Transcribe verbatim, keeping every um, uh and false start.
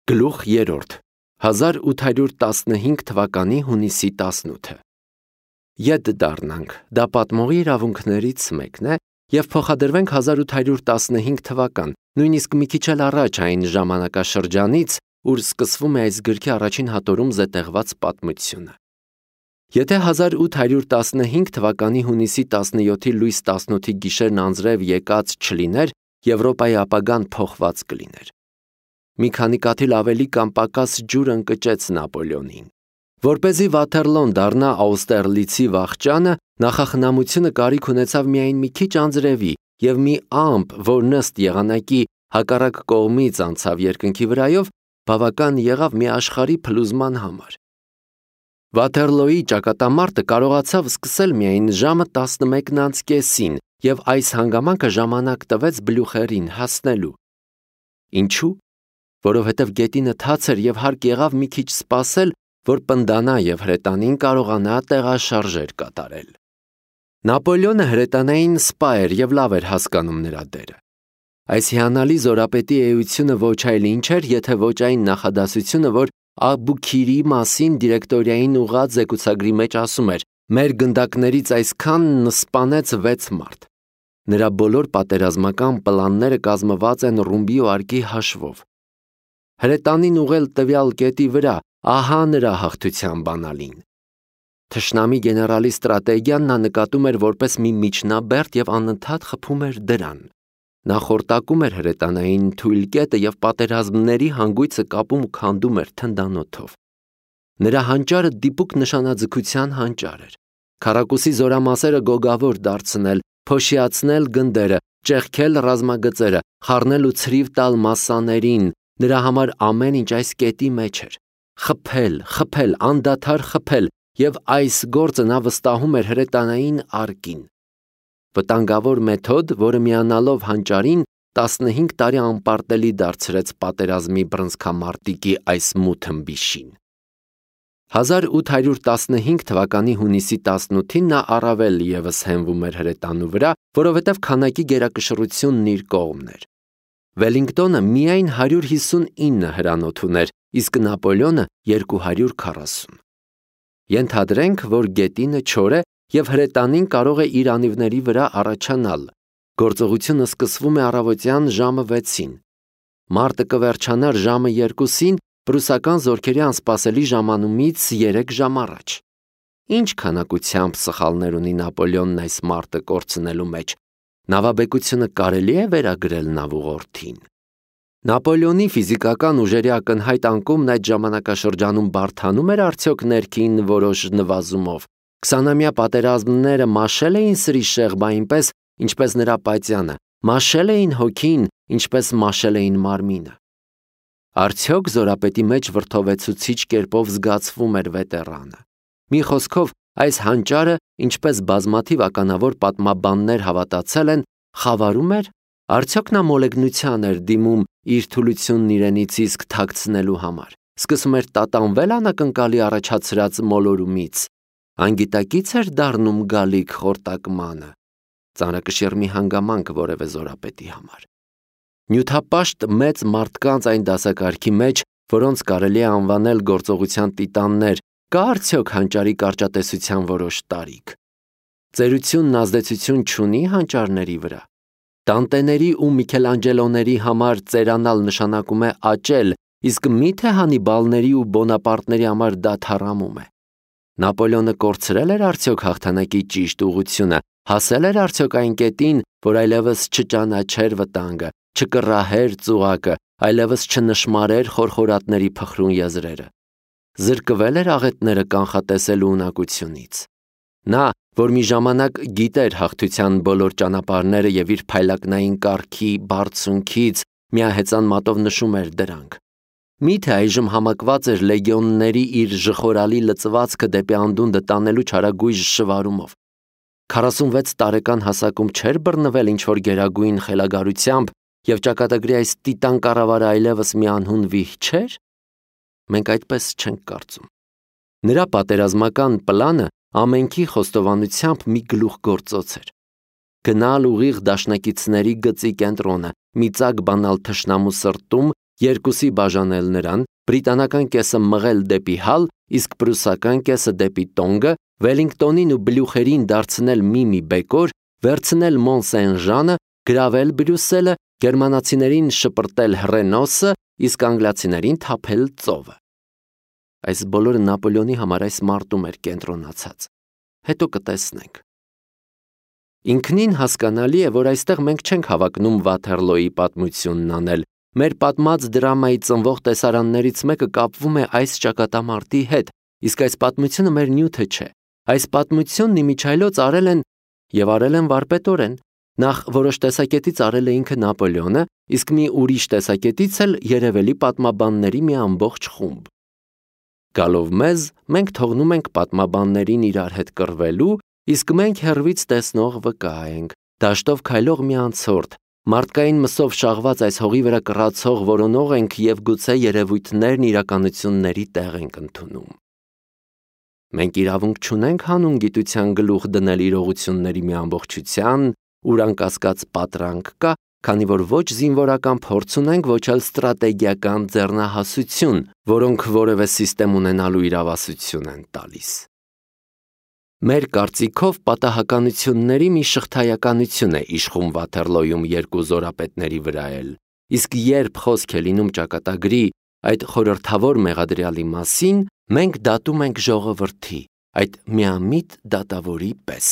Գլուխ երրորդ հազար ութ հարյուր տասնհինգ թվականի հունիսի տասնութը Ետ դառնանք, դա պատմողի իրավունքներից մեկն է և փոխադրվենք հազար ութ հարյուր տասնհինգ թվական, նույնիսկ մի քիչ էլ առաջ այն ժամանակաշրջանից, ուր սկսվում է այս գրքի առաջին հատորում զետեղված պատմությունը։ Եթե հազար ութ հարյուր տասնհինգ թվականի հունիսի տասնյոթի լույս տասնութի գիշերն անձրև եկած չլիներ, Եվրոպայի ապագան փոխված կլիներ։ Մի քանի կաթիլ ավելի կամ պակաս ջուր ընկճեց Նապոլեոնին։ Որպեսզի Վաթերլոն դառնա Աուստերլիցի վախճանը, նախախնամությունը կարիք ունեցավ միայն մի քիչ անձրևի և մի ամպ, որ նստ եղանակի հակառակ կողմից անցավ երկնքի վրայով, բավական եղավ մի աշխարհի փլուզման համար։ Վաթերլոյի ճակատամարտը կարողացավ սկսել միայն ժամը տասնմեկն անց կեսին, և այս հանգամանքը ժամանակ տվեց Բլյուխերին հասնելու։ Ինչու՞։ Որովհետև գետինը թաց էր և հարկ եղավ մի քիչ սպասել, որ պնդանա և հրետանին կարողանա տեղաշարժեր կատարել։ Նապոլեոնը հրետանային սպա էր և լավ էր հասկանում նրա դերը։ Այս հիանալի զորապետի էությունը ոչ այլ ինչ էր, եթե ոչ այն նախադասությունը, որ Աբուքիրի մասին դիրեկտորիային ուղղած զեկուցագրի մեջ ասում էր. «Մեր գնդակներից այսքանն սպանեց վեց մարդ»։ Նրա բոլոր պատերազմական պլանները կազմված են ռումբի ու արկի հաշվով։ Հրետանին ուղղել տվյալ կետի վրա, ահա նրա հաղթության բանալին։ Թշնամի գեներալի ստրատեգիան նա նկատում էր որպես մի միջնաբերդ և անընդհատ խփում էր դրան։ Նա խորտակում էր հրետանային թույլ կետը և պատերազմների հանգույցը կապում ու քանդում էր թնդանոթով։ Նրա հանճարը դիպուկ նշանաձգության հանճար էր։ Քառակուսի զորամասերը գոգավոր դարձնել, փոշիացնել գնդերը, ճեղքել ռազմագծերը, խառնել ու ցրիվ տալ մասսաներին, նրա համար ամեն ինչ այս կետի մեջ էր։ Խփել, խփել, անդադար խփել, և այս գործը նա վստահում էր հրետանային արկին։ Վտանգավոր մեթոդ, որը միանալով հանճարին, տասնհինգ տարի անպարտելի դարձրեց պատերազմի բռնցքամարտիկի այս մութ ըմբիշին։ Հազար ութ հարյուր տասնհինգ թվականի հունիսի տասնութին նա առավել ևս հենվում էր հրետանու վրա, որովհետև քանակի գերակշռությունն իր կողմն էր։ Վելինգտոնը միայն հարյուր հիսունինը հրանոթ ուներ, իսկ Նապոլեոնը երկու հարյուր քառասուն։ Ենթադրենք, որ գետինը չոր է և հրետանին կարող է իր անիվների վրա առաջանալ։ Գործողությունը սկսվում է առավոտյան ժամը վեցին։ Մարտը կվերջանար ժամը երկուսին, պրուսական զորքերի անսպասելի ժամանումից երեք ժամ առաջ։ Ինչ քանակությամբ սխալներ ունի Նապոլեոնն այս մարտը կորցնելու մեջ։ Նավաբեկությունը կարելի է վերագրել նավուղորդին։ Նապոլեոնի ֆիզիկական ուժերի ակնհայտ անկումն այդ ժամանակաշրջանում բարդանում էր արդյոք ներքին որոշ նվազումով։ Քսանամյա պատերազմները մաշել էին սրի շեղբը այնպես, ինչպես նրա պատյանը, մաշել էին հոգին, ինչպես մաշել էին մարմինը։ Արդյոք զորապետի մեջ վրդովեցուցիչ կերպով զգացվում էր վետերանը։ Մի խոսքով, այս հանճարը, ինչպես բազմաթիվ ականավոր պատմաբաններ հավատացել են, խավարում էր, արդյոք նա մոլեգնության էր դիմում իր թուլությունն իրենից իսկ թաքցնելու համար, սկսում էր տատանվել անակնկալի առաջացրած մոլորումից, անգիտակից էր դառնում գալիք խորտակմանը, ծանրակշիռ մի հանգամանք որևէ զորապետի համար։ Նյութապաշտ մեծ մարդկանց այն դասակարգի մեջ, որոնց կարելի է անվանել գործողության տիտաններ, կա արդյոք հանճարի կարճատեսության որոշ տարիք։ Ծերությունն ազդեցություն չունի հանճարների վրա։ Դանտեների ու Միքելանջելոների համար ծերանալ նշանակում է աճել, իսկ մի՞թե Հանիբալների ու Բոնապարտների համար դա թառամում է։ Նապոլեոնը կորցրել էր արդյոք հաղթանակի ճիշտ ուղղությունը, հասել էր արդյոք այն կետին, որ այլևս չճանաչեր վտանգը, չկռահեր ծուղակը, այլևս չնշմարեր խորխորատների փխրուն եզրերը։ Զրկվել էր աղետները կանխատեսելու ունակությունից։ Նա, որ մի ժամանակ գիտեր հաղթության բոլոր ճանապարհները և իր փայլակնային կառքի բարձունքից միահեծան մատով նշում էր դրանք։ Մի՞թե այժմ համակված էր լեգիոնների իր ժխորալի լծվածքը դեպի անդունդը տանելու չարագույժ շվարումով։ Քառասունվեց տարեկան հասակում չէր բռնվել ինչ-որ գերագույն խելագարությամբ և ճակատագրի այս տիտան կառավարը այլևս մի անհուն վիհ չէր։ Մենք այդպես չենք կարծում։ Նրա պատերազմական պլանը ամենքի խոստովանությամբ մի գլուխգործոց էր։ Գնալ ուղիղ դաշնակիցների գծի կենտրոնը, մի ծակ բանալ թշնամու սրտում երկուսի բաժանել նրան, բրիտանական կեսը մղել դեպի հալ, իսկ պրուսական կեսը դեպի տոնգը, Վելինգտոնին ու Բլյուխերին դարձնել մի-մի բեկոր, վերցնել Մոն-Սեն-Ժանը, գրավել Բրյուսելը, գերմանացիներին շպրտել Հռենոսը, իսկ անգլիացիներին թափել ծովը։ Այս բոլորը Նապոլեոնի համար այս մարտում էր կենտրոնացած։ Հետո կտեսնենք։ Ինքնին հասկանալի է, որ այստեղ մենք չենք հավակնում Վաթերլոյի պատմությունն անել։ Մեր պատմած դրամայի ծնվող տեսարաններից մեկը կապվում է այս ճակատամարտի հետ, իսկ այս պատմությունը մեր նյութը չէ։ Այս պատմությունն իմիջայլոց արել են եւ արել են վարպետորեն։ Նախ որոշ տեսակետից արել է ինքը Նապոլեոնը, իսկ մի ուրիշ տեսակետից էլ երևելի պատմաբանների մի ամբողջ խումբ։ Գալով մեզ, մենք թողնում ենք պատմաբաններին իրար հետ կռվելու, իսկ մենք հեռվից տեսնող վկա ենք, դաշտով քայլող մի անցորդ, մարդկային մսով շաղված այս հողի վրա կռացող որոնող ենք եւ գուցե երևույթներն իրականությունների տեղ ենք ընդունում։ Մենք իրավունք չունենք հանուն գիտության գլուխ դնել իրողությունների մի ամբողջության, ուր անկասկած պատրանք կա, քանի որ ոչ զինվորական փորձ ունենք, ոչ էլ ստրատեգիական ձեռնահասություն, որոնք որևէ սիստեմ ունենալու իրավասություն են տալիս։ Մեր կարծիքով պատահականությունների մի շղթայականություն է իշխում Վաթերլոյում երկու զորապետների վրա էլ, իսկ երբ խոսք է լինում ճակատագրի այդ խորհրդավոր մեղադրյալի մասին, մենք դատում ենք ժողովրդի, այդ միամիտ դատավորի պես։